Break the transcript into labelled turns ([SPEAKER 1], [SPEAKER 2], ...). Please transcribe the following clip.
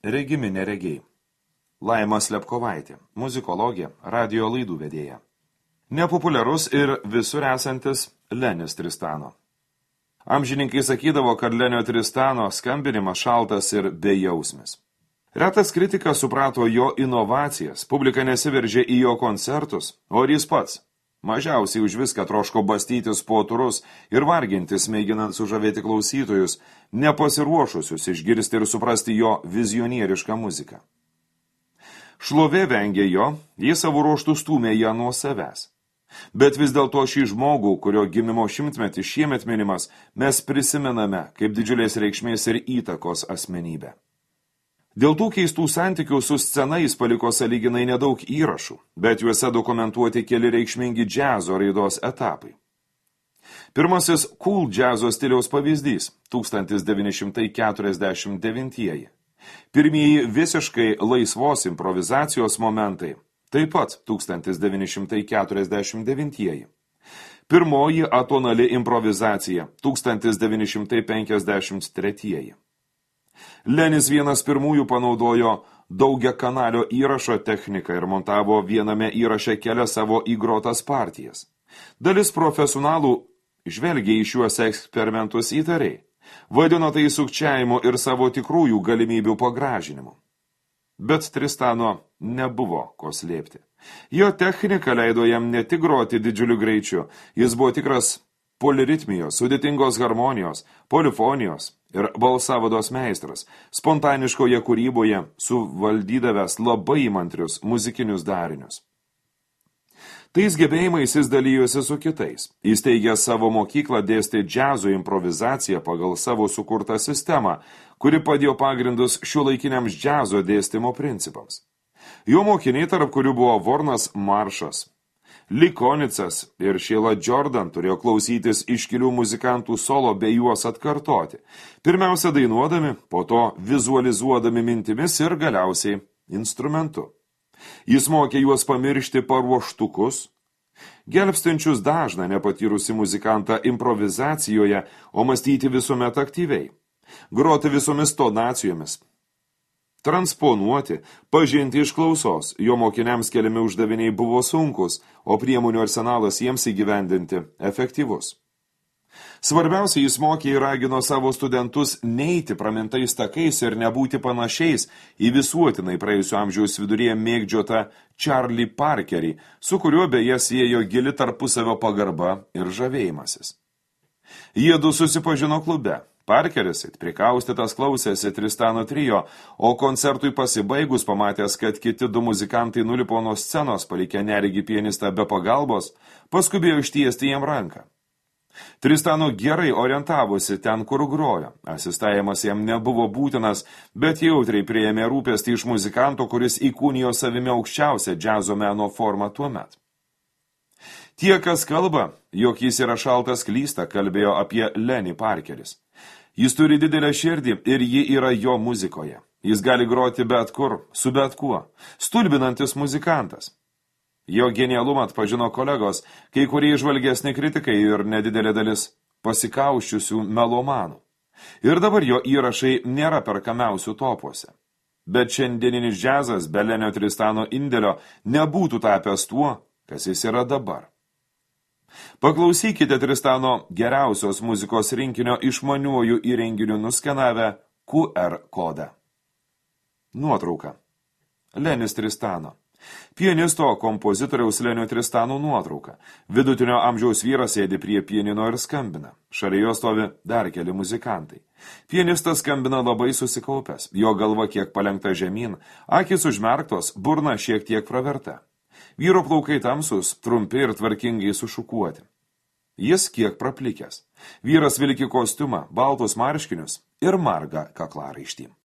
[SPEAKER 1] regimi neregiai. Laima Slepkovaitė, muzikologė, radio laidų vedėja. Nepopuliarus ir visur esantis Lenis Tristano. Amžininkai sakydavo, kad Lenio Tristano skambinimas šaltas ir bejausmis. Retas kritikas suprato jo inovacijas, publika nesiveržė į jo koncertus, o ir jis pats. Mažiausiai už viską troško bastytis po turus ir vargintis, mėginant sužavėti klausytojus, nepasiruošusius išgirsti ir suprasti jo vizionierišką muziką. Šlovė vengė jo, jis savo ruoštų stūmė ją nuo savęs. Bet vis dėlto šį žmogų, kurio gimimo šimtmetį šiemet minimas, mes prisimename kaip didžiulės reikšmės ir įtakos asmenybę. Dėl tų keistų santykių su scena jis paliko sąlyginai nedaug įrašų, bet juose dokumentuoti keli reikšmingi džiazo raidos etapai. Pirmasis cool džiazo stiliaus pavyzdys – 1949-ieji. Pirmieji visiškai laisvos improvizacijos momentai – taip pat 1949-ieji. Pirmoji atonali improvizacija – 1953-ieji. Lenis vienas pirmųjų panaudojo daugiakanalio įrašo techniką ir montavo viename įraše kelias savo įgrotas partijas. Dalis profesionalų žvelgia į šiuos eksperimentus įtariai, vadino tai sukčiavimu ir savo tikrųjų galimybių pagražinimu. Bet Tristano nebuvo ko slėpti. Jo technika leido jam ne tik groti didžiuliu greičiu, jis buvo tikras poliritmijos, sudėtingos harmonijos, polifonijos ir balsavados meistras, spontaniškoje kūryboje suvaldydavęs labai įmantrius muzikinius darinius. Tais gebėjimais jis dalyjosi su kitais. Jis teigė savo mokyklą dėstė džiazo improvizaciją pagal savo sukurtą sistemą, kuri padėjo pagrindus šiuolaikiniams džiazo dėstymo principams. Jo mokiniai, tarp kurių buvo Vornas Maršas, Likonicas ir Sheila Jordan turėjo klausytis iškilių muzikantų solo bei juos atkartoti, pirmiausia dainuodami, po to vizualizuodami mintimis ir galiausiai instrumentu. Jis mokė juos pamiršti paruoštukus, gelbstinčius dažną nepatyrusi muzikantą improvizacijoje, o mąstyti visuomet aktyviai, groti visomis tonacijomis, transponuoti, pažinti iš klausos, jo mokiniams keliami uždaviniai buvo sunkus, o priemonių arsenalas jiems įgyvendinti efektyvus. Svarbiausia, jis mokė ir ragino savo studentus neiti pramintais takais ir nebūti panašiais į visuotinai praėjusio amžiaus viduryje mėgdžiotą Charlie Parkerį, su kuriuo beje siejo gili tarpusavio pagarba ir žavėjimasis. Jiedu susipažino klube. Parkeris prikaustytas klausėsi Tristano trio, o koncertui pasibaigus pamatęs, kad kiti du muzikantai nulipo nuo scenos, palikę neregį pianistą be pagalbos, paskubėjo ištiesti jam ranką. Tristano gerai orientavosi ten, kur grojo. Asistavimas jam nebuvo būtinas, bet jautriai priėmė rūpestį iš muzikanto, kuris įkūnijo savimi aukščiausią džiazo meno formą tuomet. Tie, kas kalba, jog jis yra šaltas klysta, kalbėjo apie Lenį Parkeris. Jis turi didelę širdį ir ji yra jo muzikoje. Jis gali groti bet kur, su bet kuo. Stulbinantis muzikantas. Jo genialumą atpažino kolegos, kai kurie įžvalgesni kritikai ir nedidelė dalis pasikauščiusių melomanų. Ir dabar jo įrašai nėra perkamiausių topuose. Bet šiandieninis džiazas be Lenio Tristano indėlio nebūtų tapęs tuo, kas jis yra dabar. Paklausykite Tristano geriausios muzikos rinkinio išmaniuoju įrenginiu nuskenavę QR kodą. Nuotrauka. Lenis Tristano. Pianisto kompozitoriaus Lenio Tristano nuotrauka. Vidutinio amžiaus vyras sėdi prie pianino ir skambina. Šalia jo stovi dar keli muzikantai. Pianistas skambina labai susikaupęs, jo galva kiek palenkta žemyn, akys užmerktos, burna šiek tiek praverta. Vyro plaukai tamsus, trumpi ir tvarkingai sušukuoti. Jis kiek praplikęs. Vyras vilki kostiumą, baltus marškinius ir margą kaklaraištį.